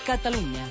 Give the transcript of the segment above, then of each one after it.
Catalunya.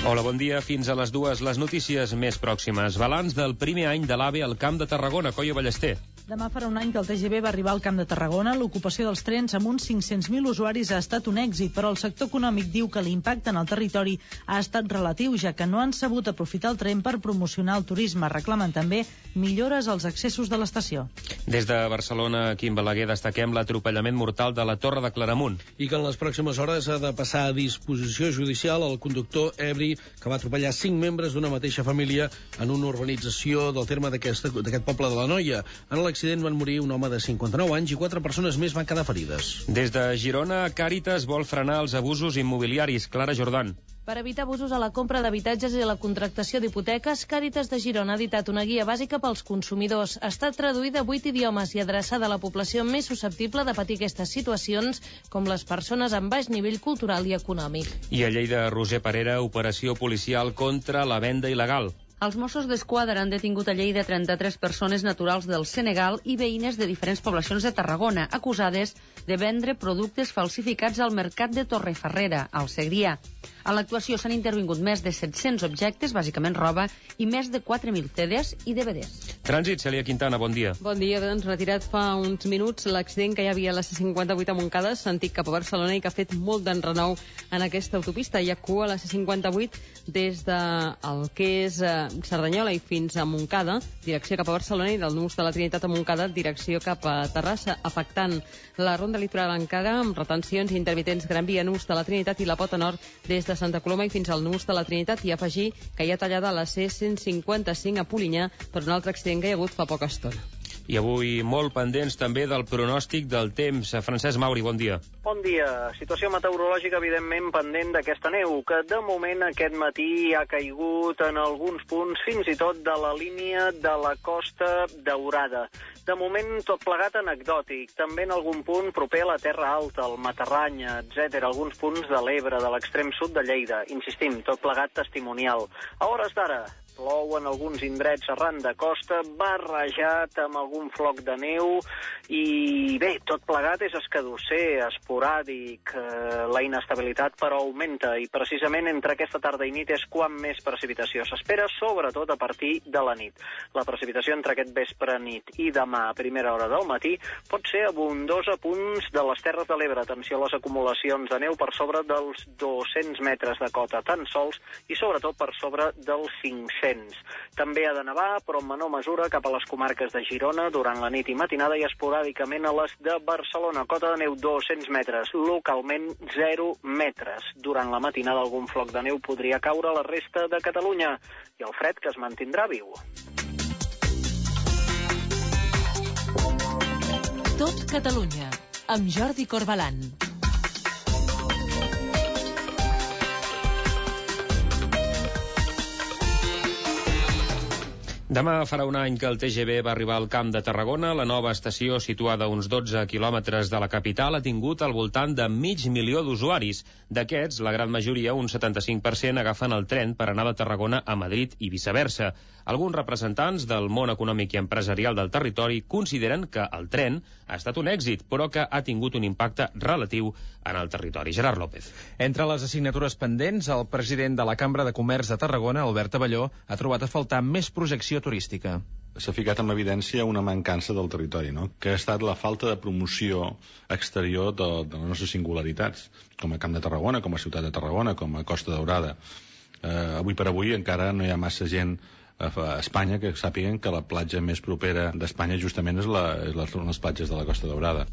Hola, bon dia. Fins a les 2, les notícies més pròximes. Balanç del primer any de l'AVE al Camp de Tarragona. Coio Ballester. Demà farà un any que el TGV va arribar al Camp de Tarragona. L'ocupació dels trens amb uns 500.000 usuaris ha estat un èxit, però el sector econòmic diu que l'impacte en el territori ha estat relatiu, ja que no han sabut aprofitar el tren per promocionar el turisme. Reclamen també millores als accessos de l'estació. Des de Barcelona, Quim Balaguer, destaquem l'atropellament mortal de la Torre de Claramunt. I que en les pròximes hores ha de passar a disposició judicial el conductor ebri que va atropellar 5 membres d'una mateixa família en una urbanització del terme d'aquest poble de l'Anoia. En l'accident van morir un home de 59 anys i 4 persones més van quedar ferides. Des de Girona, Càritas vol frenar els abusos immobiliaris. Clara Jordan. Per evitar abusos a la compra d'habitatges i a la contractació d'hipoteques, Càritas de Girona ha editat una guia bàsica pels consumidors. Està traduïda a 8 idiomes i adreçada a la població més susceptible de patir aquestes situacions, com les persones amb baix nivell cultural i econòmic. I a Lleida, Roser Parera, operació policial contra la venda il·legal. Els Mossos d'Esquadra han detingut a Lleida 33 persones naturals del Senegal i veïnes de diferents poblacions de Tarragona, acusades de vendre productes falsificats al mercat de Torrefarrera, al Segrià. A l'actuació s'han intervingut més de 700 objectes, bàsicament roba, i més de 4.000 CDs i DVDs. Trànsit, Cèlia Quintana, bon dia. Bon dia, doncs retirat fa uns minuts l'accident que hi havia a la C58 a Montcada, sentit cap a Barcelona, i que ha fet molt d'enrenou en aquesta autopista. Hi ha cua a la C58 des del que és Cerdanyola i fins a Montcada, direcció cap a Barcelona, i del nus de la Trinitat a Montcada, direcció cap a Terrassa, afectant la ronda litoral encara, amb retencions i intermitents Gran Via, nus de la Trinitat i la Pota Nord des de Santa Coloma i fins al nus de la Trinitat, i afegir que hi ha tallada la C155 a Polinyà per un altre accident que hi ha hagut fa poca estona. I avui molt pendents també del pronòstic del temps. Francesc Mauri, bon dia. Bon dia. Situació meteorològica, evidentment, pendent d'aquesta neu, que de moment aquest matí ha caigut en alguns punts, fins i tot de la línia de la Costa Daurada. De moment, tot plegat anecdòtic. També en algun punt proper a la Terra Alta, el Matarrany, etc. Alguns punts de l'Ebre, de l'extrem sud de Lleida. Insistim, tot plegat testimonial. A hores d'ara, plou en alguns indrets arran de costa, barrejat amb algun floc de neu, i bé, tot plegat és escadusser, esporàdic, la inestabilitat però augmenta, i precisament entre aquesta tarda i nit és quan més precipitació s'espera, sobretot a partir de la nit. La precipitació entre aquest vespre, nit i demà a primera hora del matí pot ser abundosa a punts de les Terres de l'Ebre. Atenció a les acumulacions de neu per sobre dels 200 metres de cota tan sols, i sobretot per sobre dels 500. També ha de nevar, però en menor mesura, cap a les comarques de Girona durant la nit i matinada, i esporàdicament a les de Barcelona. Cota de neu 200 metres, localment 0 metres. Durant la matinada algun floc de neu podria caure a la resta de Catalunya, i el fred que es mantindrà viu. Tot Catalunya, amb Jordi Corbalan. Demà farà un any que el TGV va arribar al Camp de Tarragona. La nova estació, situada a uns 12 quilòmetres de la capital, ha tingut al voltant de 500.000 d'usuaris. D'aquests, la gran majoria, un 75%, agafen el tren per anar de Tarragona a Madrid i viceversa. Alguns representants del món econòmic i empresarial del territori consideren que el tren ha estat un èxit, però que ha tingut un impacte relatiu en el territori. Gerard López. Entre les assignatures pendents, el president de la Cambra de Comerç de Tarragona, Albert Abelló, ha trobat a faltar més projecció turística. S'ha ficat en evidència una mancança del territori, no? Que ha estat la falta de promoció exterior de les nostres singularitats, com a Camp de Tarragona, com a Ciutat de Tarragona, com a Costa Daurada. Avui per avui encara no hi ha massa gent a Espanya que sàpiguen que la platja més propera d'Espanya justament és les platges de la Costa Daurada.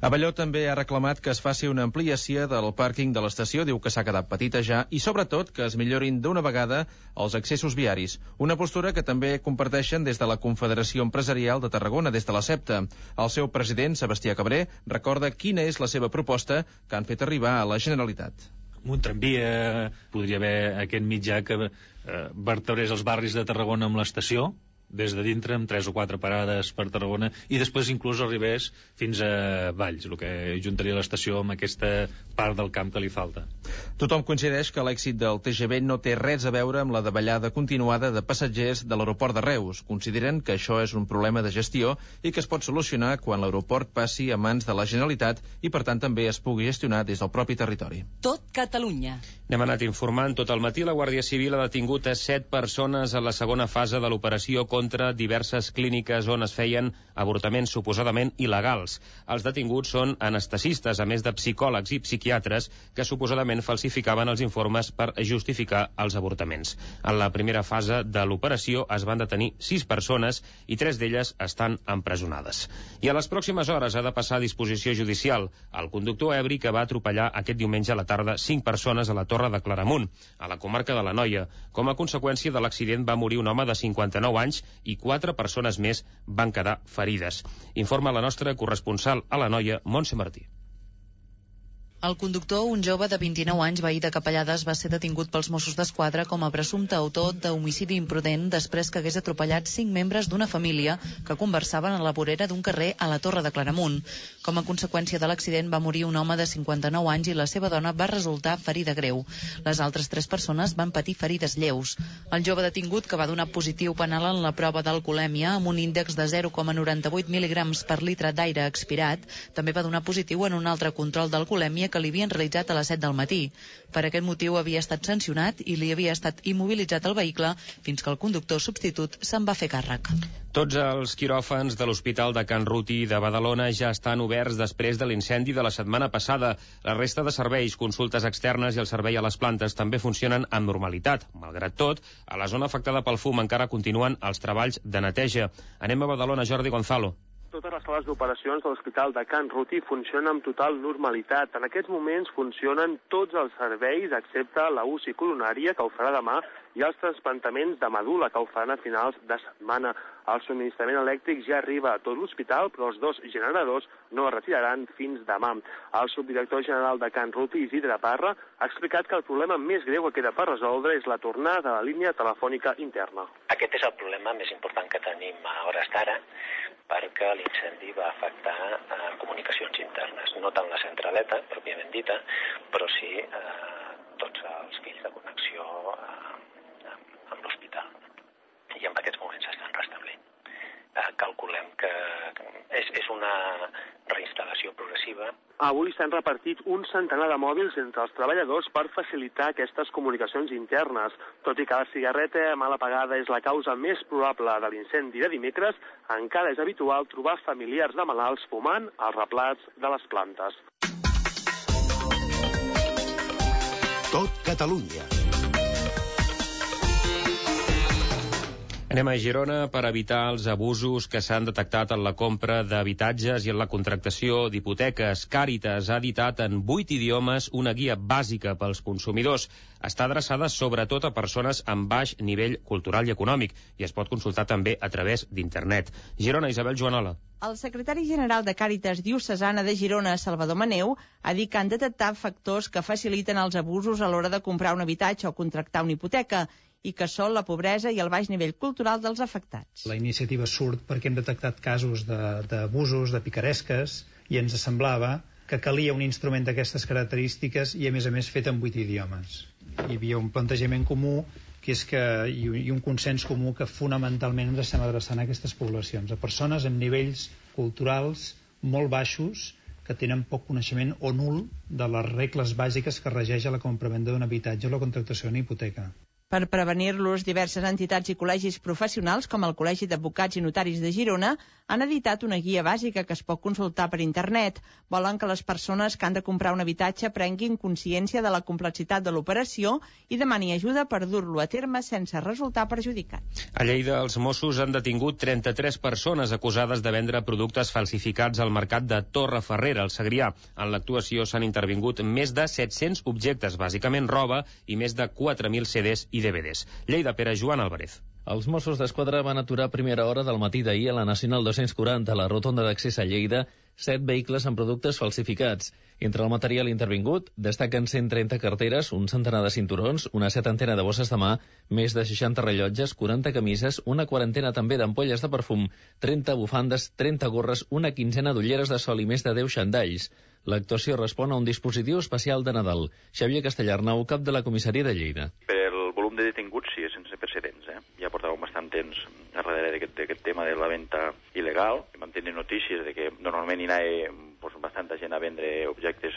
Abelló també ha reclamat que es faci una ampliació del pàrquing de l'estació, diu que s'ha quedat petita ja, i sobretot que es millorin d'una vegada els accessos viaris. Una postura que també comparteixen des de la Confederació Empresarial de Tarragona, des de la CEPTA. El seu president, Sebastià Cabré, recorda quina és la seva proposta que han fet arribar a la Generalitat. Un tramvia, podria haver aquest mitjà que vertebrés els barris de Tarragona amb l'estació, des de dintre amb 3 o 4 parades per Tarragona i després inclús arribés fins a Valls, el que juntaria l'estació amb aquesta part del camp que li falta. Tothom coincideix que l'èxit del TGV no té res a veure amb la davallada continuada de passatgers de l'aeroport de Reus. Consideren que això és un problema de gestió i que es pot solucionar quan l'aeroport passi a mans de la Generalitat i, per tant, també es pugui gestionar des del propi territori. Tot Catalunya. N'hem anat informant tot el matí. La Guàrdia Civil ha detingut a 7 persones en la segona fase de l'operació contra diverses clíniques on es feien avortaments suposadament il·legals. Els detinguts són anestesistes, a més de psicòlegs i psiquiatres, que suposadament falsificaven els informes per justificar els avortaments. En la primera fase de l'operació es van detenir 6 persones i 3 d'elles estan empresonades. I a les pròximes hores ha de passar a disposició judicial el conductor ebri que va atropellar aquest diumenge a la tarda 5 persones a la Torre de Claramunt, a la comarca de l'Anoia. Com a conseqüència de l'accident va morir un home de 59 anys i 4 persones més van quedar ferides. Informa la nostra corresponsal a l'Anoia, Montse Martí. El conductor, un jove de 29 anys veí de Capellades, va ser detingut pels Mossos d'Esquadra com a presumpte autor d'homicidi imprudent després que hagués atropellat 5 membres d'una família que conversaven a la vorera d'un carrer a la Torre de Claramunt. Com a conseqüència de l'accident va morir un home de 59 anys i la seva dona va resultar ferida greu. Les altres 3 persones van patir ferides lleus. El jove detingut, que va donar positiu penal en la prova d'alcoholèmia amb un índex de 0,98 mil·ligrams per litre d'aire expirat, també va donar positiu en un altre control d'alcoholèmia que li havien realitzat a les 7 del matí. Per aquest motiu havia estat sancionat i li havia estat immobilitzat el vehicle fins que el conductor substitut se'n va fer càrrec. Tots els quiròfans de l'Hospital de Can Ruti de Badalona ja estan oberts després de l'incendi de la setmana passada. La resta de serveis, consultes externes i el servei a les plantes també funcionen amb normalitat. Malgrat tot, a la zona afectada pel fum encara continuen els treballs de neteja. Anem a Badalona, Jordi Gonzalo. Totes les sales d'operacions de l'Hospital de Can Ruti funcionen amb total normalitat. En aquests moments funcionen tots els serveis, excepte la UCI coronària, que ho farà demà, i els trasplantaments de medul·la, que ho faran a finals de setmana. El subministrament elèctric ja arriba a tot l'hospital, però els 2 generadors no es retiraran fins demà. El subdirector general de Can Ruti, Isidre Parra, ha explicat que el problema més greu que queda per resoldre és la tornada de la línia telefònica interna. Aquest és el problema més important que tenim a hores d'ara, perquè l'incendi va afectar comunicacions internes, no tant la centraleta, pròpiament dita, però sí tots els fills de connexió amb l'hospital. I en aquests moments s'estan restablint. Calculem que és una reinstal·lació progressiva. Avui s'han repartit un centenar de mòbils entre els treballadors per facilitar aquestes comunicacions internes. Tot i que la cigarreta mal apagada és la causa més probable de l'incendi de dimecres, encara és habitual trobar familiars de malalts fumant als replats de les plantes. Tot Catalunya. Anem a Girona per evitar els abusos que s'han detectat en la compra d'habitatges i en la contractació d'hipoteques. Càritas ha editat en 8 idiomes una guia bàsica pels consumidors. Està adreçada sobretot a persones amb baix nivell cultural i econòmic i es pot consultar també a través d'internet. Girona, Isabel Joanola. El secretari general de Càritas Diocesana de Girona, Salvador Maneu, ha dit que han detectat factors que faciliten els abusos a l'hora de comprar un habitatge o contractar una hipoteca i que són la pobresa i el baix nivell cultural dels afectats. La iniciativa surt perquè hem detectat casos d'abusos, de picaresques, i ens semblava que calia un instrument d'aquestes característiques i, a més, fet en 8 idiomes. Hi havia un plantejament comú que és i un consens comú que fonamentalment ens estem adreçant a aquestes poblacions, a persones amb nivells culturals molt baixos que tenen poc coneixement o nul de les regles bàsiques que regeix la compra-venda d'un habitatge o la contractació d'una hipoteca. Per prevenir-los, diverses entitats i col·legis professionals, com el Col·legi d'Advocats i Notaris de Girona, han editat una guia bàsica que es pot consultar per internet. Volen que les persones que han de comprar un habitatge prenguin consciència de la complexitat de l'operació i demani ajuda per dur-lo a terme sense resultar perjudicats. A Lleida, els Mossos han detingut 33 persones acusades de vendre productes falsificats al mercat de Torrefarrera, al Segrià. En l'actuació s'han intervingut més de 700 objectes, bàsicament roba, i més de 4.000 CDs i DVDs. Lleida, Pere Joan Álvarez. Els Mossos d'Esquadra van aturar a primera hora del matí d'ahir a la Nacional 240, a la rotonda d'accés a Lleida, 7 vehicles amb productes falsificats. Entre el material intervingut destaquen 130 carteres, un centenar de cinturons, una setantena de bosses de mà, més de 60 rellotges, 40 camises, una quarantena també d'ampolles de perfum, 30 bufandes, 30 gorres, una quinzena d'ulleres de sol i més de 10 xandalls. L'actuació respon a un dispositiu especial de Nadal. Xavier Castellarnau, cap de la comissaria de Lleida. El volum de detinguts sí, és sense precedents. Ja portàvem bastant temps darrere d'aquest tema de la venda il·legal. Vam tenir notícies de que normalment hi anava bastanta gent a vendre objectes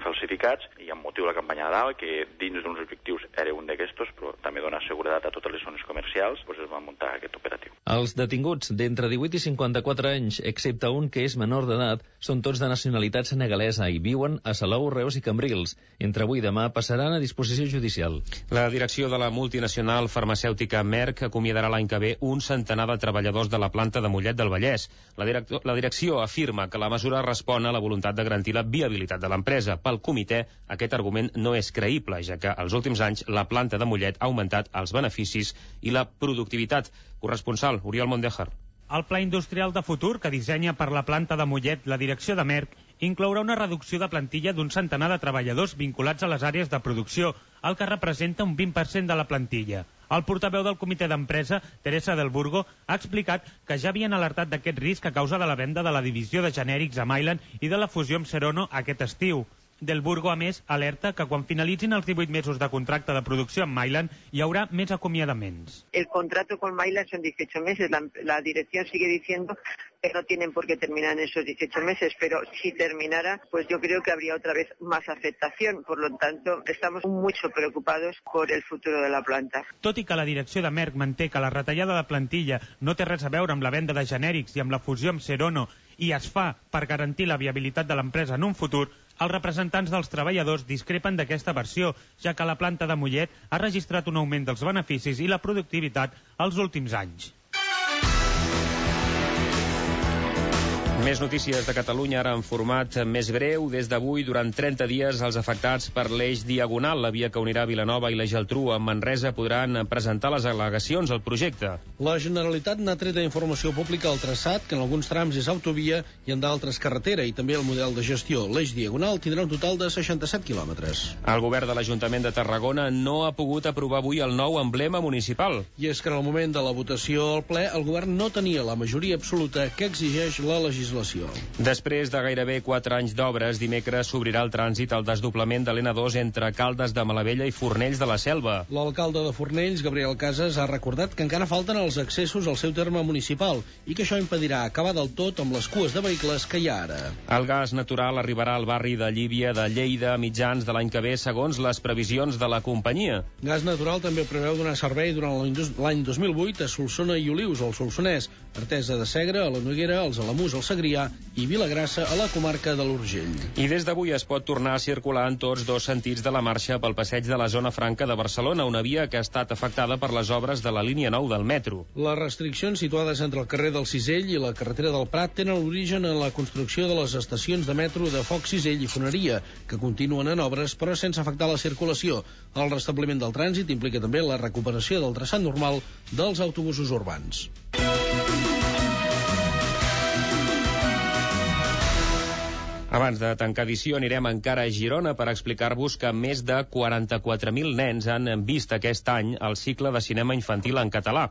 falsificats i amb motiu de la campanya Nadal, que dins d'uns objectius era un d'aquestos, però també donar seguretat a totes les zones comercials, es va muntar aquest operatiu. Els detinguts d'entre 18 i 54 anys, excepte un que és menor d'edat, són tots de nacionalitat senegalesa i viuen a Salou, Reus i Cambrils. Entre avui i demà passaran a disposició judicial. La direcció de la multinacional farmacèutica Merck acomiadarà l'any que ve un centenar de treballadors de la planta de Mollet del Vallès. La direcció afirma que la mesura respon a la voluntat de garantir la viabilitat de l'empresa. Pel comitè, aquest argument no és creïble, ja que als últims anys la planta de Mollet ha augmentat els beneficis i la productivitat. Corresponsal, Oriol Mondejar. El pla industrial de futur que dissenya per la planta de Mollet la direcció de Merck inclourà una reducció de plantilla d'un centenar de treballadors vinculats a les àrees de producció, el que representa un 20% de la plantilla. El portaveu del comitè d'empresa, Teresa del Burgo, ha explicat que ja havien alertat d'aquest risc a causa de la venda de la divisió de genèrics a Mylan i de la fusió amb Serono aquest estiu. Del Burgo, a més, alerta que quan finalitzin els 18 mesos de contracte de producció amb Mylan hi haurà més acomiadaments. El contrato con Mylan son 18 meses. La dirección sigue diciendo que no tienen por qué terminar en esos 18 meses, pero si terminara, pues yo creo que habría otra vez más afectación. Por lo tanto, estamos mucho preocupados por el futuro de la planta. Tot i que la direcció de Merck manté que la retallada de plantilla no té res a veure amb la venda de genèrics i amb la fusió amb Serono i es fa per garantir la viabilitat de l'empresa en un futur, els representants dels treballadors discrepen d'aquesta versió, ja que la planta de Mollet ha registrat un augment dels beneficis i la productivitat els últims anys. Més notícies de Catalunya, ara en format més breu. Des d'avui, durant 30 dies, els afectats per l'eix Diagonal, la via que unirà Vilanova i la Geltrú amb Manresa, podran presentar les al·legacions al projecte. La Generalitat n'ha tret informació pública al traçat, que en alguns trams és autovia i en d'altres carretera, i també el model de gestió. L'eix Diagonal tindrà un total de 67 quilòmetres. El govern de l'Ajuntament de Tarragona no ha pogut aprovar avui el nou emblema municipal. I és que en el moment de la votació al ple, el govern no tenia la majoria absoluta que exigeix la legislació. Després de gairebé 4 anys d'obres, dimecres s'obrirà el trànsit al desdoblament de l'N2 entre Caldes de Malavella i Fornells de la Selva. L'alcalde de Fornells, Gabriel Casas, ha recordat que encara falten els accessos al seu terme municipal i que això impedirà acabar del tot amb les cues de vehicles que hi ha ara. El gas natural arribarà al barri de Llívia de Lleida a mitjans de l'any que ve, segons les previsions de la companyia. Gas Natural també preveu donar servei durant l'any 2008 a Solsona i Olius, al Solsonès, Artesa de Segre, a la Noguera, als Alamús, al Segrià i Vilagrassa, a la comarca de l'Urgell. I des d'avui es pot tornar a circular en tots dos sentits de la marxa pel passeig de la Zona Franca de Barcelona, una via que ha estat afectada per les obres de la línia 9 del metro. Les restriccions situades entre el carrer del Cisell i la carretera del Prat tenen l'origen en la construcció de les estacions de metro de Foc, Cisell i Foneria, que continuen en obres però sense afectar la circulació. El restabliment del trànsit implica també la recuperació del traçat normal dels autobusos urbans. Abans de tancar edició anirem encara a Girona per explicar-vos que més de 44.000 nens han vist aquest any el cicle de cinema infantil en català,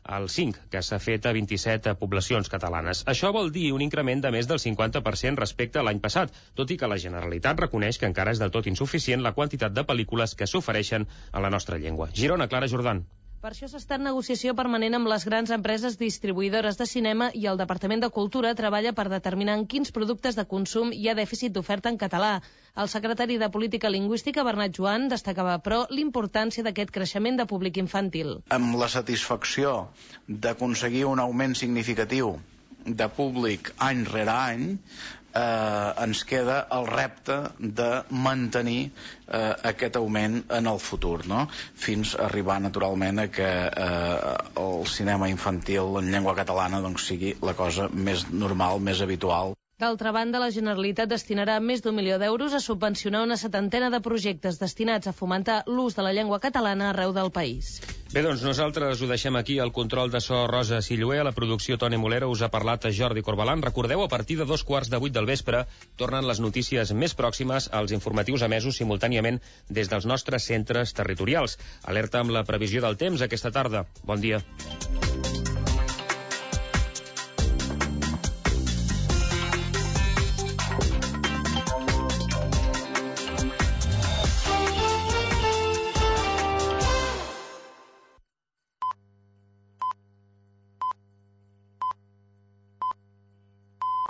el 5, que s'ha fet a 27 poblacions catalanes. Això vol dir un increment de més del 50% respecte a l'any passat, tot i que la Generalitat reconeix que encara és del tot insuficient la quantitat de pel·lícules que s'ofereixen a la nostra llengua. Girona, Clara Jordan. Per això s'està en negociació permanent amb les grans empreses distribuïdores de cinema i el Departament de Cultura treballa per determinar en quins productes de consum hi ha dèficit d'oferta en català. El secretari de Política Lingüística, Bernat Joan, destacava, però, l'importància d'aquest creixement de públic infantil. Amb la satisfacció d'aconseguir un augment significatiu de públic any rere any, ens queda el repte de mantenir aquest augment en el futur, no? Fins a arribar naturalment a que el cinema infantil en llengua catalana doncs, sigui la cosa més normal, més habitual. D'altra banda, la Generalitat destinarà més d'1 milió d'euros a subvencionar una setantena de projectes destinats a fomentar l'ús de la llengua catalana arreu del país. Bé, doncs nosaltres ho deixem aquí. El control de so Rosa Silluer, a la producció Toni Molero, us ha parlat a Jordi Corbalan. Recordeu, a partir de 7:15 del vespre tornen les notícies més pròximes als informatius emesos simultàniament des dels nostres centres territorials. Alerta amb la previsió del temps aquesta tarda. Bon dia.